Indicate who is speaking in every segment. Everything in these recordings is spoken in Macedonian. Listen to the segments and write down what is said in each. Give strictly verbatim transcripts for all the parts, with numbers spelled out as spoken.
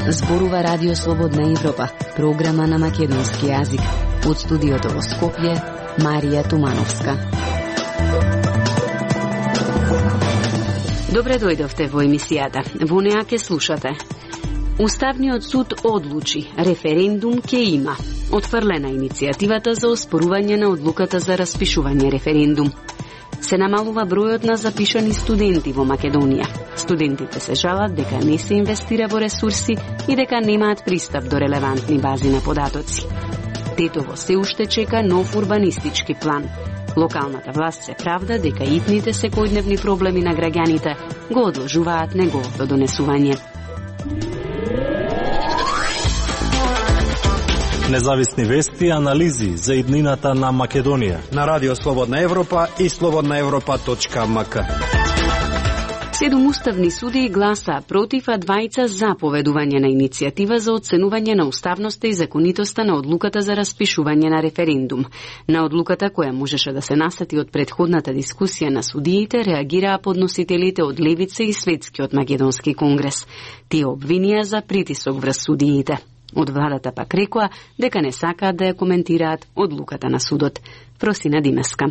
Speaker 1: Зборува Радио Слободна Европа, програма на македонски јазик. Од студиото во Скопје, Марија Тумановска. Добре дојдовте во емисијата. Во неа ке слушате. Уставниот суд одлучи, референдум ке има. Отфрлена иницијативата за оспорување на одлуката за распишување референдум. Се намалува бројот на запишани студенти во Македонија. Студентите се жалат дека не се инвестира во ресурси и дека немаат пристап до релевантни бази на податоци. Тетово се уште чека нов урбанистички план. Локалната власт се правда дека итните секојдневни проблеми на граѓаните го одложуваат неговото донесување.
Speaker 2: Независни вести и анализи за иднината на Македонија
Speaker 3: на Радио Слободна Европа и слободна европа точка ем ка.
Speaker 1: Седум уставни суди гласаа против, а двајца за поведување на иницијатива за оценување на уставноста и законитоста на одлуката за распишување на референдум. На одлуката која можеше да се насети од претходната дискусија на судиите, реагираа подносителите од Левица и Светскиот македонски конгрес. Тие обвинија за притисок врз судиите. Од владата пак рекоа дека не сакаат да ја коментираат одлуката на судот. Просина Димеска.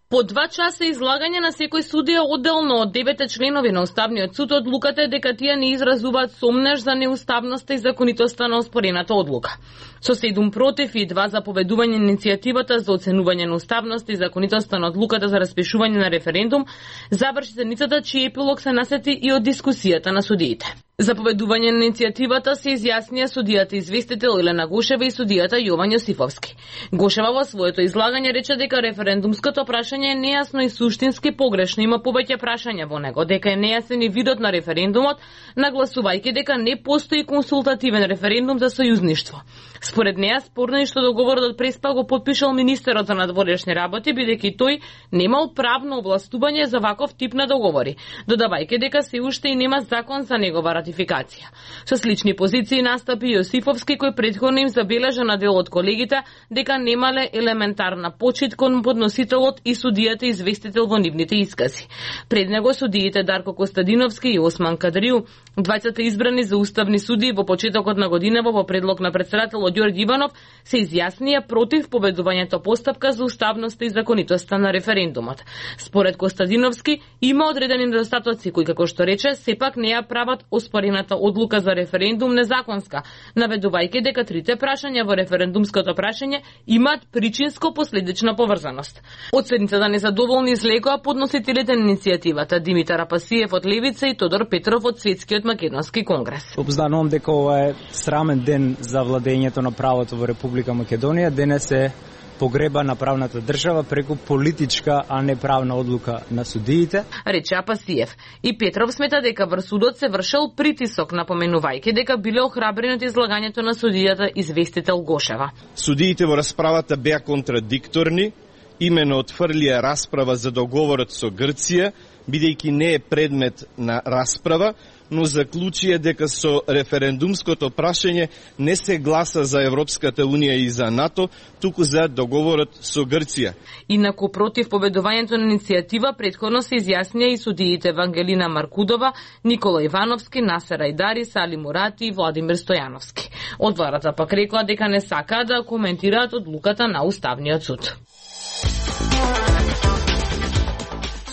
Speaker 4: По два часа излагање на секој судија одделно од девете членови на Уставниот суд, одлуката е дека тие не изразуваат сомнеж за неуставноста и законитоста на оспорената одлука. Со седум против и два за поведување на иницијативата за оценување на уставноста и законитоста на одлуката за распишување на референдум, заврши седницата чиј епилог се насети и од дискусијата на судиите. За поведување на иницијативата се изјаснија судијата известител Елена Гошева и судијата Јован Јосифовски. Гошева во своето излагање рече дека референдумското прашање е нејасно и суштински погрешно, има повеќе прашања во него, дека е нејасен и видот на референдумот, нагласувајќи дека не постои консултативен референдум за сојузништво. Според неа спорно е што договорот од Преспа го потпишал министерот за надворешни работи, бидејќи тој немал правно овластување за ваков тип на договори, додавајќи дека се уште и нема закон за негова ратификација. Со слични позиции настапи Јосифовски, кој претходно им забележа на дел од колегите дека немале елементарна почит кон подносителот и судијата известител во нивните искази. Пред него судиите Дарко Костадиновски и Осман Кадриу, двајцата избрани за уставни судии во почетокот на годинава во предлог на председателот Ѓорѓе Иванов, се изјаснија против победувањето постапка за уставноста и законитоста на референдумот. Според Костадиновски, има одредени недостатоци кои, како што рече, сепак не ја прават оспорената одлука за референдум незаконска, наведувајќи дека трите прашања во референдумското прашање имаат причинско-последична поврзаност. Од седницата незадоволни излекоа подносителите на иницијативата Димитар Апасиев од Левица и Тодор Петров од Светскиот македонски конгрес.
Speaker 5: Обзнанувам дека ова е срамен ден за владењето на правото во Република Македонија. Денес е погреба на правната држава преку политичка, а не правна одлука на судиите,
Speaker 4: рече Апасиев. И Петров смета дека врз судот се вршел притисок, напоменувајќи дека биле охрабрени од излагањето на судијата известител Гошева.
Speaker 6: Судиите во расправата беа контрадикторни, имено отфрлија расправа за договорот со Грција, бидејќи не е предмет на расправа, но заклучија дека со референдумското прашање не се гласа за Европската Унија и за НАТО, туку за договорот со Грција.
Speaker 4: Инаку против победувањето на иницијатива претходно се изјаснија и судиите Вангелина Маркудова, Никола Ивановски, Насер Ајдари, Сали Мурати и Владимир Стојановски. Од владата пак рекоа дека не сакаат да коментираат одлуката на Уставниот суд.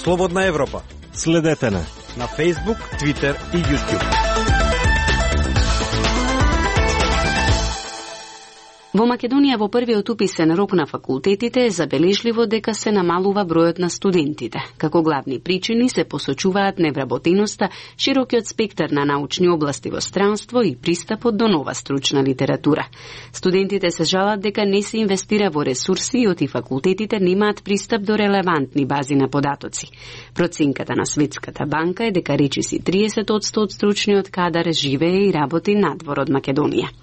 Speaker 3: Слободна Европа.
Speaker 2: Следете на
Speaker 3: на Facebook, Twitter и YouTube.
Speaker 1: Во Македонија во првиот уписен рок на факултетите е забележливо дека се намалува бројот на студентите. Како главни причини се посочуваат невработеноста, широкиот спектар на научни области во странство и пристапот до нова стручна литература. Студентите се жалат дека не се инвестира во ресурси и оти факултетите немаат пристап до релевантни бази на податоци. Проценката на Светската банка е дека речиси триесет одсто од стручниот кадар живее и работи надвор од Македонија.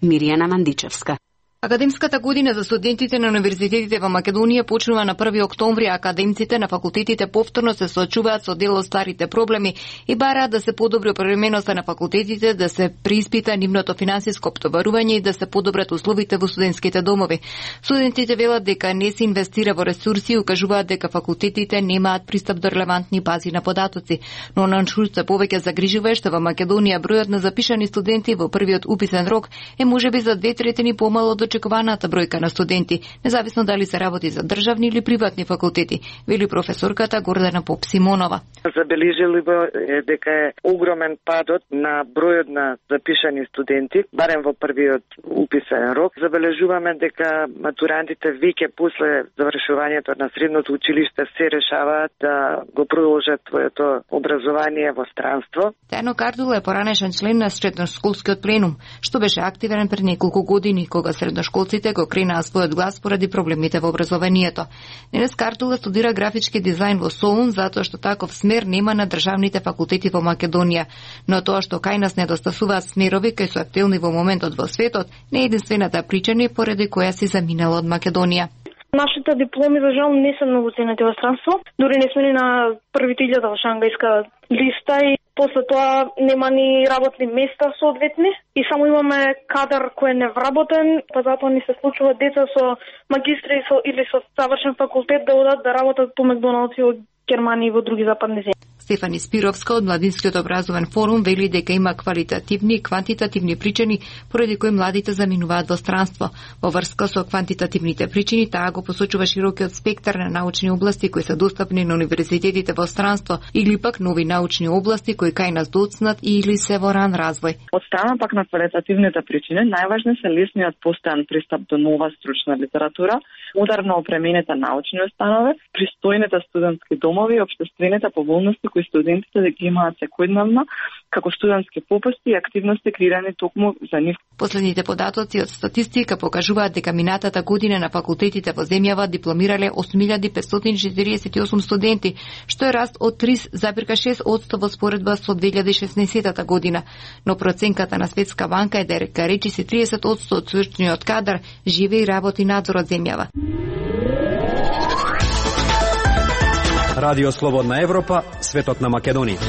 Speaker 1: Миријана Мандичевска.
Speaker 7: Академската година за студентите на универзитетите во Македонија почнува на први октомври, а академците на факултетите повторно се соочуваат со дел од старите проблеми и бараат да се подобри оправдаността на факултетите, да се преиспита нивното финансиско оптоварување и да се подобрат условите во студентските домови. Студентите велат дека не се инвестира во ресурси и укажуваат дека факултетите немаат пристап до релевантни бази на податоци. Но на се повеќе загрижува е што во Македонија бројот на запишани студенти во првиот уписен рок е можеби за две третини помало од очекуваната бројка на студенти, независно дали се работи за државни или приватни факултети, вели професорката Гордана Поп-Симонова.
Speaker 8: Забележливо е дека е огромен падот на бројот на запишани студенти, барем во првиот уписен рок. Забележуваме дека матурантите веќе после завршувањето на средното училиште се решаваат да го продолжат своето образование во странство.
Speaker 7: Тејано Кардула е поранешен член на средношколскиот пленум, што беше активен пред неколку години, кога средношколците го кренаа својот глас поради проблемите во образованието. Денес Кардула студира графички дизајн во Солун, затоа што таков смер нема на државните факултети во Македонија. Но тоа што кај нас недостасуваат смерови кои се актуелни во моментот во светот, не е единствената причина поради која си заминала од Македонија.
Speaker 9: Нашите дипломи, за жал, не се многу ценети во странство. Дури не сме ни на првите илјада во шангајска листа и после тоа нема ни работни места соодветни и само имаме кадар кој е невработен, па затоа ни се случува деца со магистри со, или со завршен факултет да одат да работат по Макдоналдс во Германија и во други западни земји.
Speaker 7: Стефани Спировска од Младинскиот образовен форум вели дека има квалитативни и квантитативни причини поради кои младите заминуваат во странство. Во врска со квантитативните причини, таа го посочува широкиот спектар на научни области кои се достапни на универзитетите во странство или пак нови научни области кои кај нас доцнат или се во ран развој.
Speaker 10: Од страна пак на квалитативните причини, најважни се лесниот постојан пристап до нова стручна литература, модерно опремените научни установи, пристојните студентски домови и општествените поволности кои студентите да ги имаат секојдневно, како студентски попусти и активности креирани токму за нив.
Speaker 7: Последните податоци од статистика покажуваат дека минатата година на факултетите во земјава дипломирале осум илјади петстотини четириесет и осум студенти, што е раст од три запирка шест одсто во споредба со две илјади и шеснаесетта година. Но проценката на Светска банка е дека речиси триесет одсто од стручниот кадар живе и работи надзор од земјава.
Speaker 3: Радио Слободна Европа, светот на Македонија.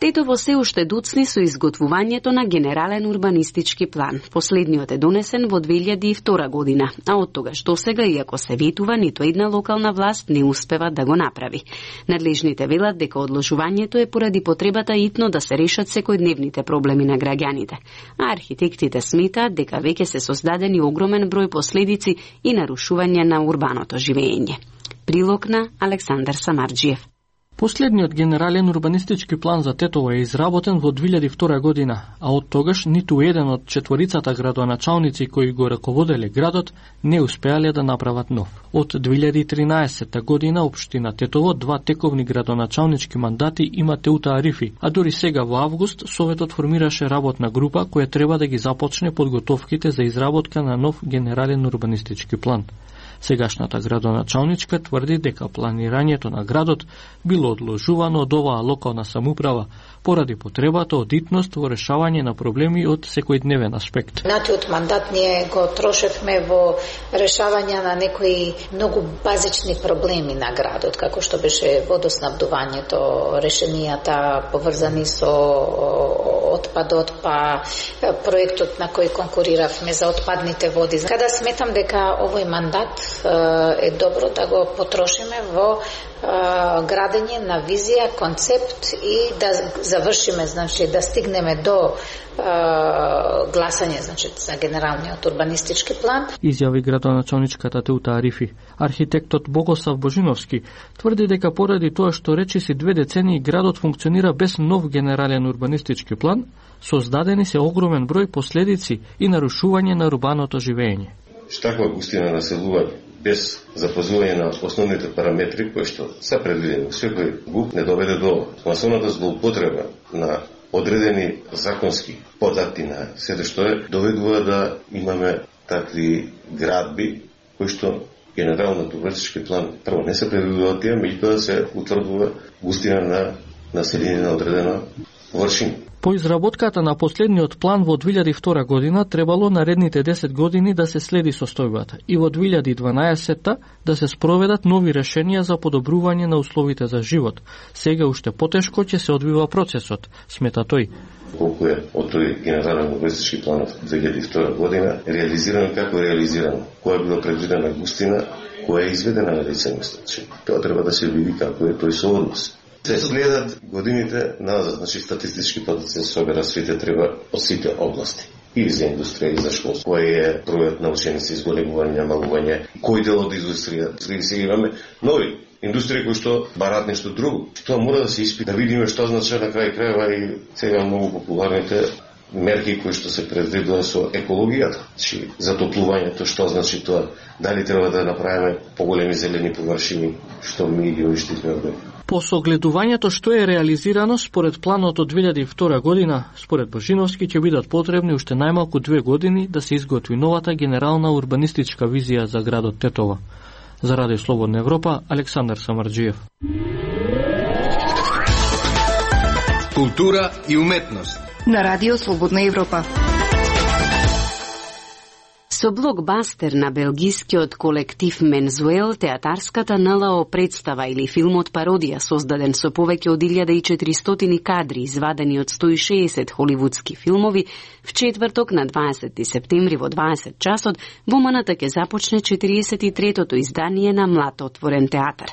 Speaker 1: Тетово се уште доцни со изготвувањето на генерален урбанистички план. Последниот е донесен во две илјади и втора година, а од тогаш до сега, иако се ветува, ниту една локална власт не успева да го направи. Надлежните велат дека одложувањето е поради потребата итно да се решат секојдневните проблеми на граѓаните. А архитектите сметаат дека веќе се создадени огромен број последици и нарушување на урбаното живење. Прилог на Александар Самарџиев.
Speaker 11: Последниот генерален урбанистички план за Тетово е изработен во две илјади и втора година, а од тогаш ниту еден од четворицата градоначалници кои го раководеле градот не успеале да направат нов. Од две илјади и тринаесетта година општина Тетово два тековни градоначалнички мандати има Теута Арифи, а дури сега во август Советот формираше работна група која треба да ги започне подготовките за изработка на нов генерален урбанистички план. Сегашната градоначалничка тврди дека планирањето на градот било одложувано од оваа локална самоуправа поради потребата од итност во решавање на проблеми од секојдневен аспект.
Speaker 12: Натиот мандат ние го трошевме во решавање на некои многу базични проблеми на градот, како што беше водоснабдувањето, решенијата поврзани со отпадот, па проектот на кој конкуриравме за отпадните води. Када сметам дека овој мандат е добро да го потрошиме во градење на визија, концепт и да завршиме, значи да стигнеме до гласање, значи за генералниот урбанистички план.
Speaker 11: Изјави градоначалничката Теута Арифи. Архитектот Богослав Божиновски тврди дека поради тоа што речиси две децении градот функционира без нов генерален урбанистички план, создадени се огромен број последици и нарушување на урбаното живење.
Speaker 13: Таква густина населување без запазување на основните параметри кои што се предвидени во секој ГУП не доведе до масовната злоупотреба на одредени законски подати на сето што е, доведува да имаме такви градби кои што генералниот урбанистички план прво не се предвидува тие, меѓутоа се утврдува густина на население на одредено површини.
Speaker 11: По изработката на последниот план во две илјади и втора година требало наредните десет години да се следи состојбата и во две илјади и дванаесетта да се спроведат нови решенија за подобрување на условите за живот. Сега уште потешко ќе се одвива процесот, смета тој.
Speaker 13: Колку е од тој генерален урбанистички план од две илјади и втора година реализирано, како е реализирано, која е била предвидена густина, која е изведена на лице место. Тоа треба да се види како е тој сооднос. Се следат годините назад, значи статистички податоци се собера сите треба од сите области. И за индустрија, и за школство. Кој е бројот на ученици, изголемување, намалување, кој дел од индустрија. Сега имаме нови индустрија кои што барат нешто друго. Тоа мора да се испита, да видиме што значи на крај крајва и сега многу популарните мерки кои што се предвидува со екологијата. Чи затоплувањето, што значи тоа? Дали треба да направиме поголеми зелени површини, што ми ги уништивме од
Speaker 11: По согледувањето што е реализирано според планот од две илјади и втора година, според Божиновски ќе бидат потребни уште најмалку две години да се изготви новата генерална урбанистичка визија за градот Тетова. За Радио Слободна Европа, Александар Самарџиев.
Speaker 14: Култура и уметност
Speaker 7: на Радио Слободна Европа.
Speaker 1: Со блокбастер на белгискиот колектив Мензуел, театарската ен ел о представа или филмот пародија создаден со повеќе од илјада и четиристотини кадри извадени од сто и шеесет холивудски филмови, в четврток на дваесети септември во дваесет часот во Маната ќе започне четириесет и третото издание на Млад отворен театар.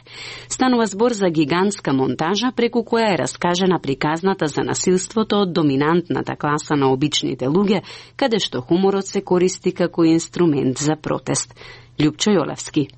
Speaker 1: Станува збор за гигантска монтажа преку која е раскажена приказната за насилството од доминантната класа на обичните луѓе, каде што хуморот се користи како инструмент за протест. Љупчо Јолевски.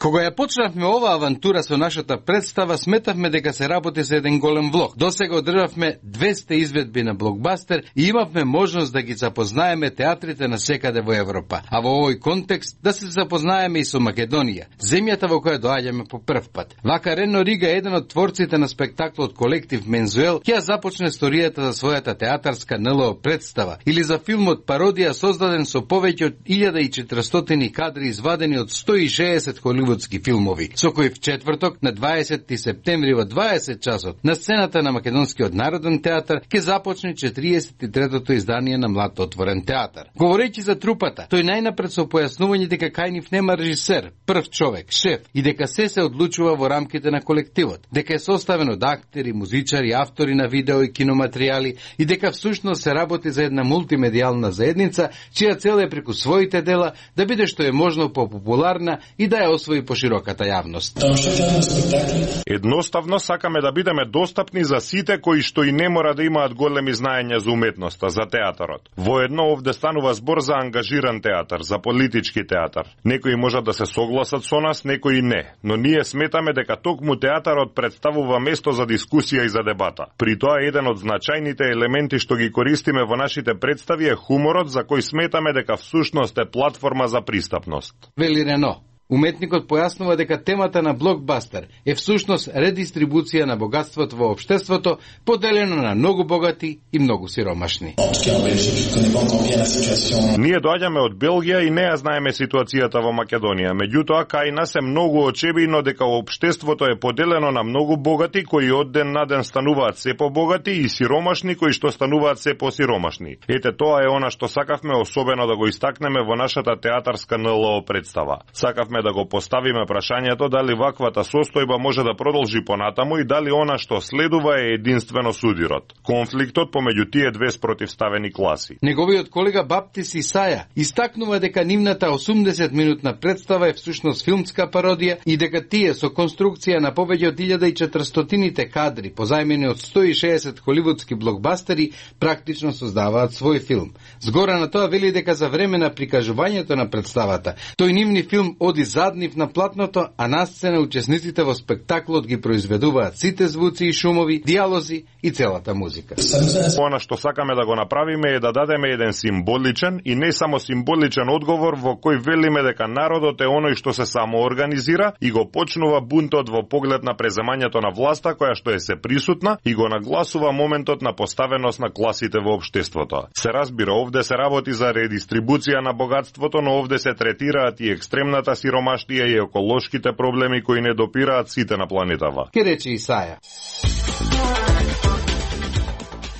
Speaker 14: Кога ја почнавме оваа авантура со нашата представа, сметавме дека се работи за еден голем влог. Досега одржавме двесте изведби на блокбастер и имавме можност да ги запознаеме театрите на секаде во Европа. А во овој контекст да се запознаеме и со Македонија, земјата во која доаѓаме по прв пат. Вака Рено Рига, еден од творците на спектаклот колектив Мензуел, ќе започне историјата за својата театарска ен ел о представа или за филмот пародија создаден со повеќе од илјада и четиристотини кадри извадени од сто и шеесет холивудски филмови, со кои в четврток на дваесети септември во дваесет часот на сцената на Македонскиот народен театар ќе започне четириесет и третото издание на Млад отворен театар. Говорејќи за трупата, тој најнапред со појаснување дека кај нив нема режисер, прв човек, шеф и дека се се одлучува во рамките на колективот, дека е составен од актери, музичари, автори на видео и киноматеријали и дека всушност се работи за една мултимедијална заедница чија цел е преку своите дела да биде што е можно попопуларна и да ја освои по широката јавност.
Speaker 15: Едноставно сакаме да бидеме достапни за сите кои што и не мора да имаат големи знаења за уметноста, за театарот. Воедно овде станува збор за ангажиран театар, за политички театар. Некои можат да се согласат со нас, некои не, но ние сметаме дека токму театарот представува место за дискусија и за дебата. При тоа еден од значајните елементи што ги користиме во нашите представи е хуморот, за кој сметаме дека всушност е платформа за пристапност.
Speaker 14: Вели Рено. Уметникот појаснува дека темата на блокбастер е всушност редистрибуција на богатството во општеството, поделено на многу богати и многу сиромашни.
Speaker 15: Ние доаѓаме од Белгија и не ја знаеме ситуацијата во Македонија. Меѓутоа, кај нас е многу очебино дека општеството е поделено на многу богати кои од ден на ден стануваат се побогати и сиромашни кои што стануваат се посиромашни. Ете тоа е она што сакавме особено да го истакнеме во нашата театарска ен ел о представа. Сакавме да го поставиме прашањето дали ваквата состојба може да продолжи понатаму и дали она што следува е единствено судирот. Конфликтот помеѓу тие две спротивставени класи.
Speaker 14: Неговиот колега Баптис Исаја истакнува дека нивната осумдесет минутна представа е всушност филмска пародија и дека тие со конструкција на повеќе од илјада и четиристотините кадри позајмени од сто и шеесет холивудски блокбастери практично создаваат свој филм. Згора на тоа вели дека за време на прикажувањето на представата, тој нивни филм оди заднив на платното, а на сцена учесниците во спектаклот ги произведуваат сите звуци и шумови, диалози и целата музика.
Speaker 15: Она што сакаме да го направиме е да дадеме еден символичен и не само символичен одговор во кој велиме дека народот е оној што се самоорганизира и го почнува бунтот во поглед на преземањето на власта која што е се присутна и го нагласува моментот на поставеност на класите во општеството. Се разбира, овде се работи за редистрибуција на богатството, но овде се третираат и екстремната сиромаштија и еколошките проблеми кои не допираат сите на планетава.
Speaker 14: Ке рече Исаја.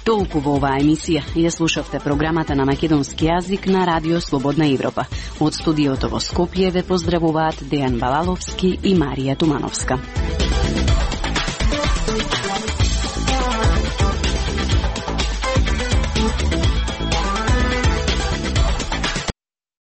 Speaker 1: Толку во оваа емисија ја слушавте програмата на македонски јазик на Радио Слободна Европа. Од студиото во Скопје ве поздравуваат Дејан Балаловски и Марија Тумановска.